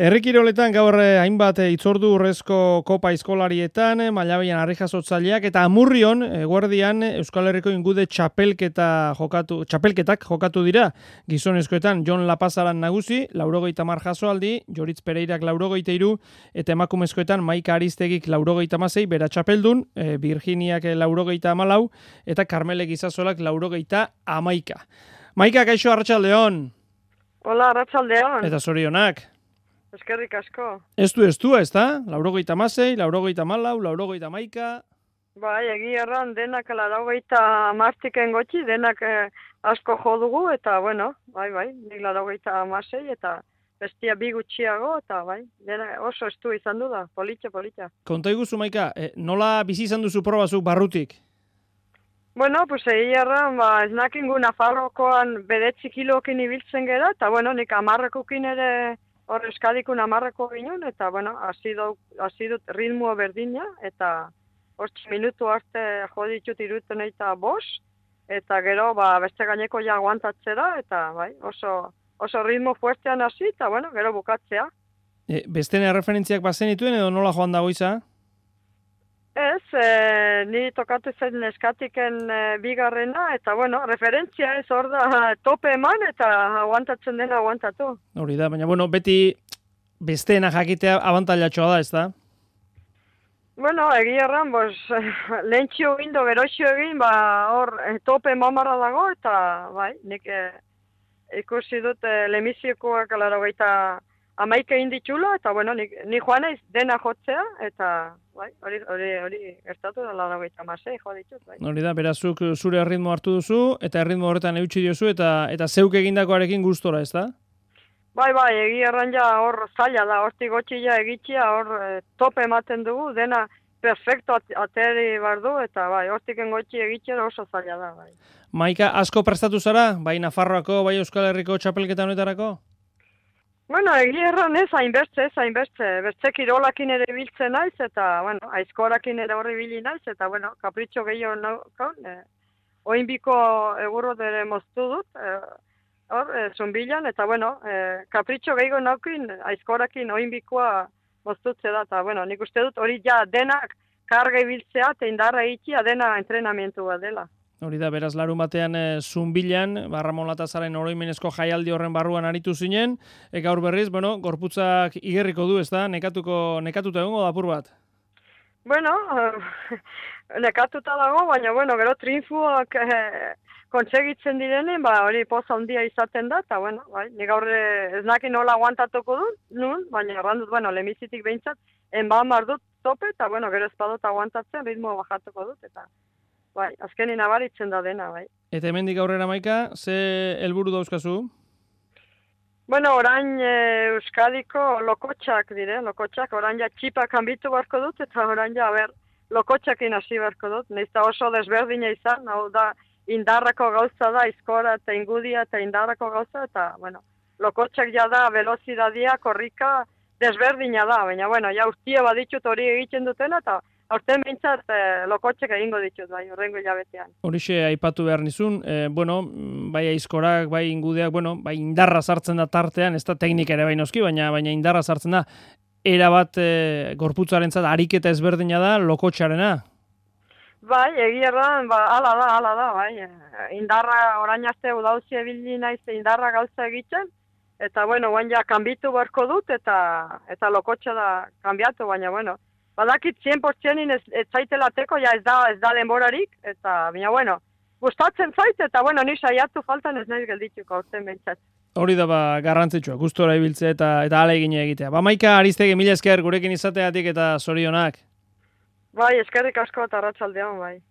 Herri kiroletan gaur hainbat itzordu urrezko kopa eskolarietan, Mailabian harri-jasotzaileak eta Amurrion eguerdian Euskal Herriko ingude txapelketak jokatu dira. Gizonezkoetan Jon Lapazaran nagusi, 90 jasoaldi, Joritz Pereirak 93 eta emakumezkoetan Maika Aristegik 96 bera txapeldun, Virginiak 94 eta Karmele Gizazolak 91. Maika, kaixo, arratsaldeon. Hola, arratsaldeon. Eta zorionak. Eskerrik asko. Ez du, ez da? 96, 94, 91. Bai, erran denak 90 gotxi, denak asko jo dugu, eta bueno, bai, nik 96 eta bestia bi gutxiago, eta bai, denak oso estu izan du da, politxa. Konta iguzu, Maika, nola bizi izan duzu probazuk barrutik? Bueno, pues erran, ez nakingu Nafarrokoan 9 kilokin ibiltzen gera, eta bueno, nik 10 ere hor Euskadikun 10 ginen, eta bueno, hasi dut ritmo berdina, eta 8 minutu arte jo ditut 75, eta gero beste gaineko ja aguantatzera, eta bai, oso ritmo fuertean hasi, eta bueno, gero bukatzea. Bestene referentziak bazenituen edo nola joan dago iza? Ez, ni tokatu zen eskatiken bigarrena, eta bueno, referentzia ez hor da tope eman, eta aguantatzen dena aguantatu. Hori da, baina bueno, beti besteena jakitea abantailatxoa da, ez da? Bueno, erran, lehentxio egin do, geroxio egin, hor tope mamara dago, eta bai, nik ikusi dut lemiziokoak 90 inditxula, eta bueno, ni joan naiz dena jotzea, eta bai, hori gertatu da 96 jo ditut, bai. Hori da, berazuk zure erritmo hartu duzu, eta erritmo horretan eutxi diozu, eta zeuk egindakoarekin gustora, ez da? Bai, erran ja hor zaila da, hortik gotxia egitxia, hor tope ematen dugu, dena perfecto ateri bardu, eta bai, hortik gotxi egitxera oso zaila da, bai. Maika, asko prestatu zara, bai Nafarroako, bai Euskal Herriko txapelketa honetarako? Bueno, erran ez, hainbertze, bertze kirolakin ere biltzen naiz, eta, bueno, aizkorakin ere horri bili naiz, eta, bueno, kapritxo gehiago naukon, oinbiko egurro dere moztu dut, hor, zunbilan, eta, bueno, kapritxo gehiago naukin, aizkorakin oinbikoa moztutze da, eta, bueno, nik uste dut hori ja denak karga ibiltzea, eta indarra itxia dena entrenamientu bat dela. Hori da, beraz, larun batean Zunbilan, Ramon Latazaren oroimenezko jaialdi horren barruan aritu zinen, gaur berriz, bueno, gorputzak igerriko du, ez da? Nekatuta egongo da apur bat? Bueno, nekatuta dago, baina, bueno, gero triunfuak kontsegitzen direnen, hori poza handia izaten da, eta, bueno, bai, nik gaur ez nakin nola aguantatuko dut, baina errandut, bueno, lemizitik behintzat, enbamar dut tope, eta, bueno, gero espadot aguantatzen, ritmo bajatuko dut, eta bai, azkenin nabaritzen da dena, bai. Eta hemendik aurrera, Maika, ze helburu dauzkazu? Bueno, orain Euskadiko lokotxak orain ja txipak hanbitu barko dut, eta orain ja, lokotxakin hasi barko dut, nahizta oso desberdina izan, hau da, indarrako gauza da, izkora eta ingudia eta indarrako gauza, eta, bueno, lokotxak ja da, velozidadia, korrika, desberdina da, baina, bueno, ja urtia baditut hori egiten dutena, eta aurten behintzat lokotxek egingo ditut, bai, horrengo hilabetean. Horixe aipatu behar nizun, bueno, bai aizkorak, bai ingudeak, bueno, bai indarra sartzen da tartean, ez da teknika ere bai noski, baina indarra sartzen da, erabat gorputzarentzat ariketa ezberdina da lokotxarena. Bai, erran, ala da, bai, indarra orain arte udauzi ebili naiz indarra gauza egiten, eta, bueno, guain ja kanbitu barko dut, eta lokotxa da kanbiatu, baina, bueno, badakit 100% ez zaitelateko, ja ez da denborarik, eta, baina, bueno, gustatzen zait, eta, bueno, ni saiatu faltan ez nahi geldituko aurten behintzat. Hori da, garrantzitsua, gustora ibiltzea eta ahalegina egitea. Maika Aristegi, mila esker gurekin izateatik eta zorionak. Bai, eskerrik asko eta arratsaldeon, bai.